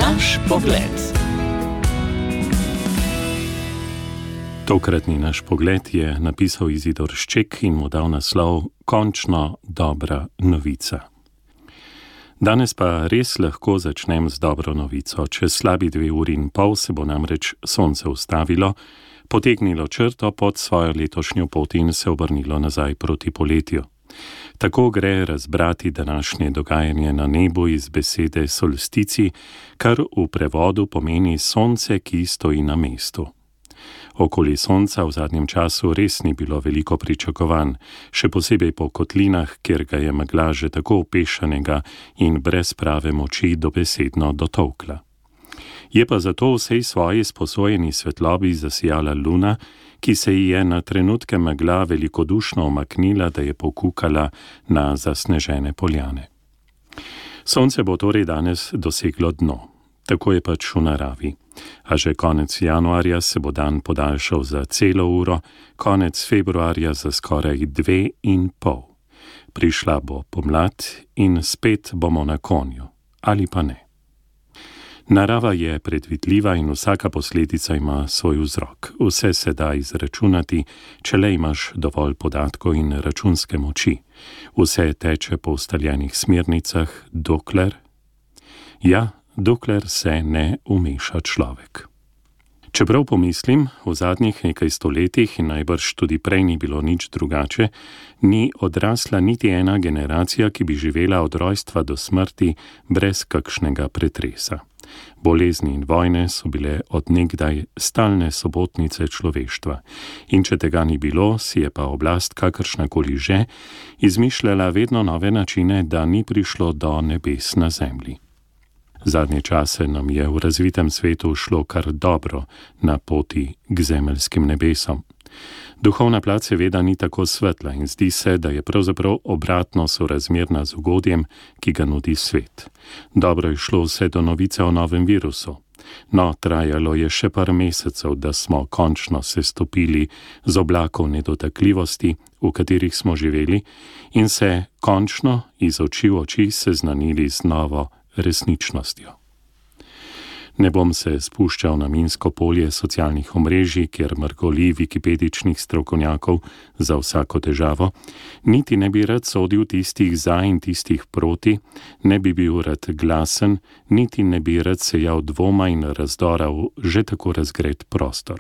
Naš pogled. Tokratni naš pogled je napisal Izidor Šček in mu dal naslov Končno dobra novica. Danes pa res lahko začnem z dobro novico. Čez slabi 2 uri in pol se bo namreč sonce ustavilo, potegnilo črto pod svojo letošnjo pot in se obrnilo nazaj proti poletju. Tako gre razbrati današnje dogajanje na nebu iz besede solstici, kar v prevodu pomeni sonce, ki stoji na mestu. Okoli sonca v zadnjem času res ni bilo veliko pričakovanj, še posebej po kotlinah, kjer ga je megla že tako opešanega in brez prave moči dobesedno dotolkla. Je pa zato vsej svoji sposojeni svetlobi zasijala luna, ki se ji je na trenutke megla velikodušno omaknila, da je pokukala na zasnežene poljane. Sonce bo torej danes doseglo dno. Tako je pač v naravi. A že konec januarja se bo dan podaljšal za celo uro, konec februarja za skoraj 2,5. Prišla bo pomlad in spet bomo na konju. Ali pa ne. Narava je predvidljiva in vsaka posledica ima svoj vzrok. Vse se da izračunati, če le imaš dovolj podatkov in računske moči. Vse teče po ustaljenih smernicah, dokler se ne umeša človek. Čeprav pomislim, v zadnjih nekaj stoletjih in najbrž tudi prej ni bilo nič drugače, ni odrasla niti ena generacija, ki bi živela od rojstva do smrti brez kakšnega pretresa. Bolezni in vojne so bile od nekdaj stalne sobotnice človeštva. In če tega ni bilo, si je pa oblast kakršnakoli že izmišljala vedno nove načine, da ni prišlo do nebes na zemlji. Zadnje čase nam je v razvitem svetu šlo kar dobro na poti k zemeljskim nebesom. Duhovna plat seveda ni tako svetla in zdi se, da je pravzaprav obratno sorazmerna z ugodjem, ki ga nudi svet. Dobro je šlo vse do novice o novem virusu. No, trajalo je še par mesecev, da smo končno se stopili z oblakov nedotakljivosti, v katerih smo živeli, in se končno iz oči v oči seznanili z novo resničnostjo. Ne bom se spuščal na minsko polje socialnih omrežij, kjer mrgoli wikipedičnih strokovnjakov za vsako težavo, niti ne bi rad sodil tistih za in tistih proti, ne bi bil rad glasen, niti ne bi rad sejal dvoma in razdora v že tako razgret prostor.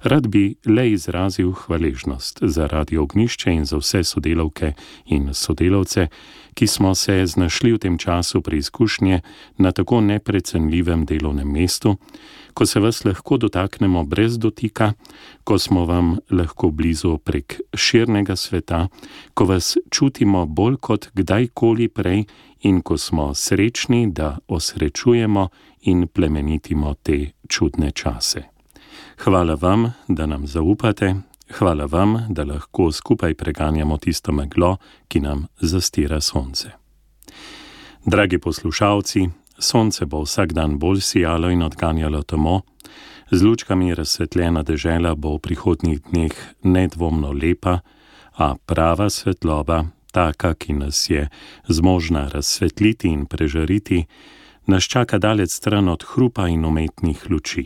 Rad bi le izrazil hvaležnost za Radio Ognjišče in za vse sodelavke in sodelavce, ki smo se znašli v tem času preizkušnje na tako neprecenljivem delovnem mestu, ko se vas lahko dotaknemo brez dotika, ko smo vam lahko blizu prek širnega sveta, ko vas čutimo bolj kot kdajkoli prej in ko smo srečni, da osrečujemo in plemenitimo te čudne čase. Hvala vam, da nam zaupate, hvala vam, da lahko skupaj preganjamo tisto meglo, ki nam zastira sonce. Dragi poslušalci, sonce bo vsak dan bolj sijalo in odganjalo temo, z lučkami razsvetljena dežela bo v prihodnjih dneh nedvomno lepa, a prava svetloba, taka, ki nas je zmožna razsvetliti in prežariti, nas čaka daleč stran od hrupa in umetnih luči.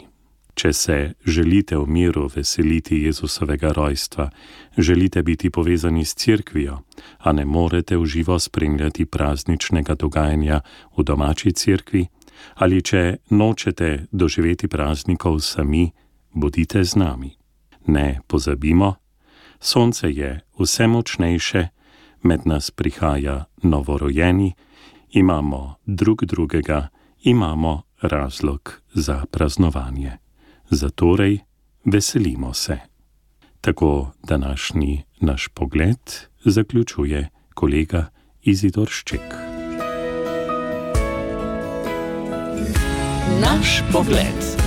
Če se želite v miru veseliti Jezusovega rojstva, želite biti povezani s cerkvijo, a ne morete v živo spremljati prazničnega dogajanja v domači cerkvi, ali če nočete doživeti praznikov sami, bodite z nami. Ne pozabimo, sonce je vse močnejše, med nas prihaja novorojeni, imamo drugega, imamo razlog za praznovanje. Zatorej veselimo se. Tako današnji naš pogled zaključuje kolega Izidor Šček. Naš pogled.